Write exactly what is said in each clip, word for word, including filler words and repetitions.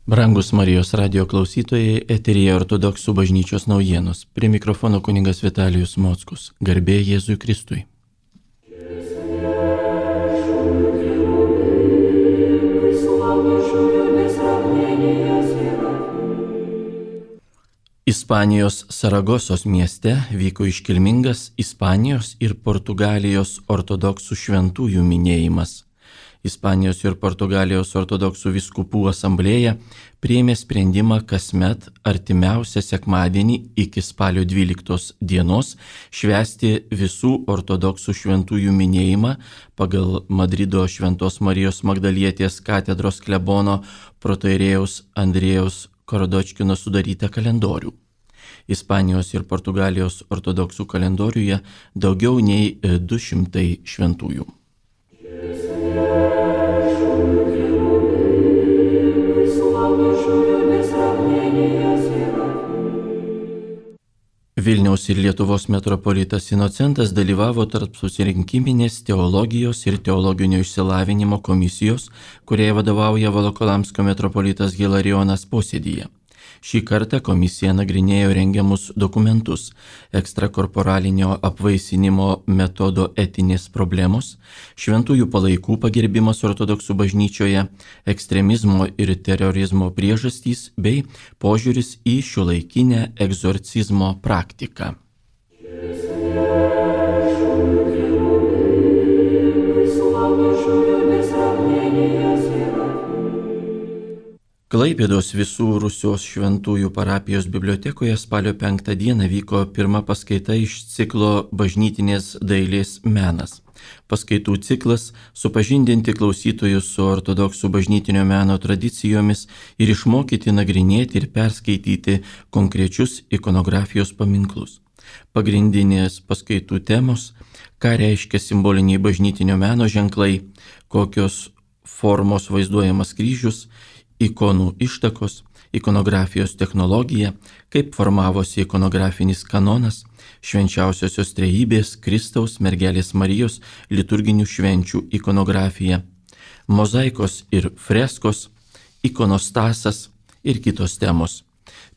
Brangus Marijos radio klausytojai, eteryje Ortodoksų bažnyčios naujienos. Prie mikrofono kunigas Vitalijus Mockus. Garbė Jėzui Kristui. Ispanijos Saragosos mieste vyko iškilmingas Ispanijos ir Portugalijos ortodoksų šventųjų minėjimas. Ispanijos ir Portugalijos ortodoksų vyskupų asamblėja priėmė sprendimą kasmet artimiausią sekmadienį iki spalio dvyliktos dienos švęsti visų ortodoksų šventųjų minėjimą pagal Madrido Šventos Marijos Magdalietės katedros klebono protoirėjaus Andrėjaus Korodočkino sudarytą kalendorių. Ispanijos ir Portugalijos ortodoksų kalendoriuje daugiau nei du šimtai šventųjų. Vilniaus ir Lietuvos metropolitas Inocentas dalyvavo tarp susirinkiminės teologijos ir teologinio išsilavinimo komisijos, kuriai vadovauja Volokolamsko metropolitas Hilarijonas posėdyje. Šį kartą komisija nagrinėjo rengiamus dokumentus, ekstrakorporalinio apvaisinimo metodo etinės problemos, šventųjų palaikų pagerbimas ortodoksų bažnyčioje, ekstremizmo ir terorizmo priežastys bei požiūris į šiuolaikinę egzorcizmo praktiką. Klaipėdos visų Rusios šventųjų parapijos bibliotekoje spalio penktą dieną vyko pirma paskaita iš ciklo Bažnytinės dailės menas. Paskaitų ciklas supažindinti klausytojus su ortodoksų bažnytinio meno tradicijomis ir išmokyti nagrinėti ir perskaityti konkrečius ikonografijos paminklus. Pagrindinės paskaitų temos – ką reiškia simboliniai bažnytinio meno ženklai, kokios formos vaizduojamas kryžius, ikonų ištakos, ikonografijos technologija, kaip formavosi ikonografinis kanonas, švenčiausiosios trejybės, Kristaus, mergelės Marijos, liturginių švenčių ikonografija, mozaikos ir freskos, ikonostasas ir kitos temos.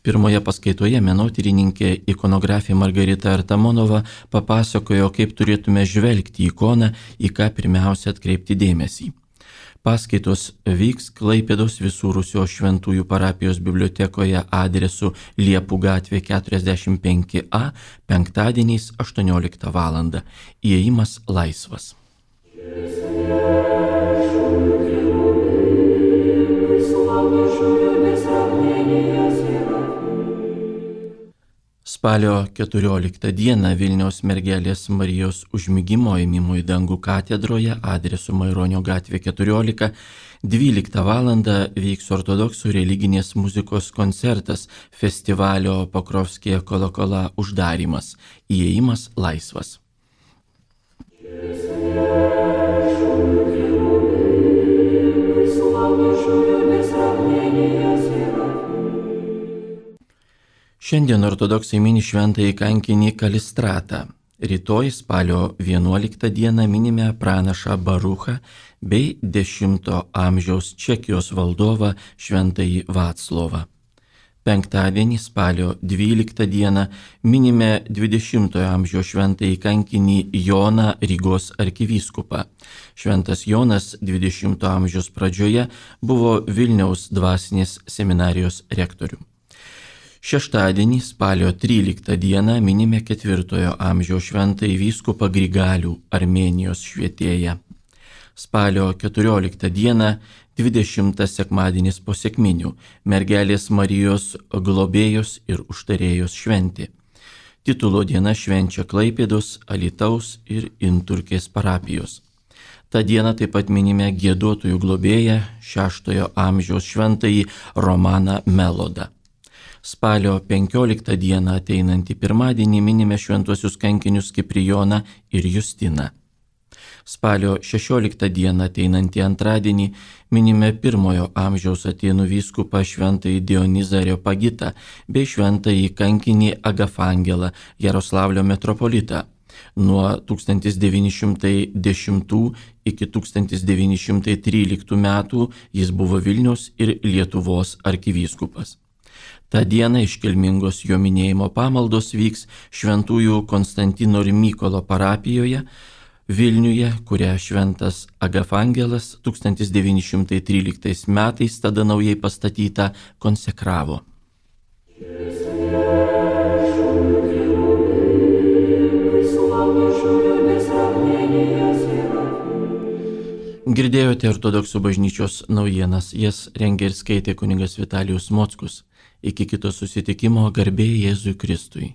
Pirmoje paskaitoje menotyrininkė ikonografė Margarita Artamonova papasakojo, kaip turėtume žvelgti į ikoną, į ką pirmiausia atkreipti dėmesį. Paskaitos vyks Klaipėdos visų Rusios šventųjų parapijos bibliotekoje adresu Liepų gatvė keturiasdešimt penki A penktadieniais aštuonioliktą valandą. Įėjimas laisvas. Spalio keturioliktą dieną Vilniaus mergelės Marijos užmigimo ėmimo į dangų katedroje adresu Maironio gatvė keturiolika dvyliktą valandą vyks ortodoksų religinės muzikos koncertas festivalio Pokrovskije Kolokola uždarymas. Įėjimas laisvas. Šiandien ortodoksai mini šventąjį kankinį Kalistratą. Rytoj spalio vienuoliktą dieną minime pranašą Baruchą bei dešimto amžiaus Čekijos valdovą šventąjį Vaclovą. Penktadienį spalio dvyliktą dieną minime dvidešimtojo amžiaus šventąjį kankinį Joną Rygos arkivyskupą. Šventas Jonas dvidešimto amžiaus pradžioje buvo Vilniaus dvasinės seminarijos rektorium. Šeštadienį spalio tryliktą dieną minime ketvirtojo amžiaus šventąjį vyskupą Grigalių, Armėnijos švietėją. Spalio keturioliktą dieną dvidešimtas sekmadienis po sekminių, mergelės Marijos globėjos ir užtarėjos šventė. Titulo diena švenčia Klaipėdos, Alytaus ir Inturkės parapijos. Ta diena taip pat minime giedotojų globėją, šeštojo amžiaus šventąjį Romaną Melodą. Spalio penkioliktą dieną ateinantį pirmadienį minime šventuosius kankinius Kiprijoną ir Justiną. Spalio šešioliktą dieną ateinantį antradienį minime pirmojo amžiaus Atėnų vyskupą šventąjį Dionizą Areopagitą bei šventąjį kankinį Agafangelą Jaroslavlio metropolitą. Nuo tūkstantis devyni šimtai dešimtų iki tūkstantis devyni šimtai tryliktų metų jis buvo Vilniaus ir Lietuvos arkivyskupas. Ta diena iškilmingos jo minėjimo pamaldos vyks šventųjų Konstantino ir Mykolo parapijoje Vilniuje, kurią šventas Agafangelas tūkstantis devyni šimtai tryliktais metais tada naujai pastatyta konsekravo. Girdėjote Ortodoksų bažnyčios naujienas, jas rengė ir skaitė kunigas Vitalijus Mockus. Iki kito susitikimo, garbė Jėzui Kristui.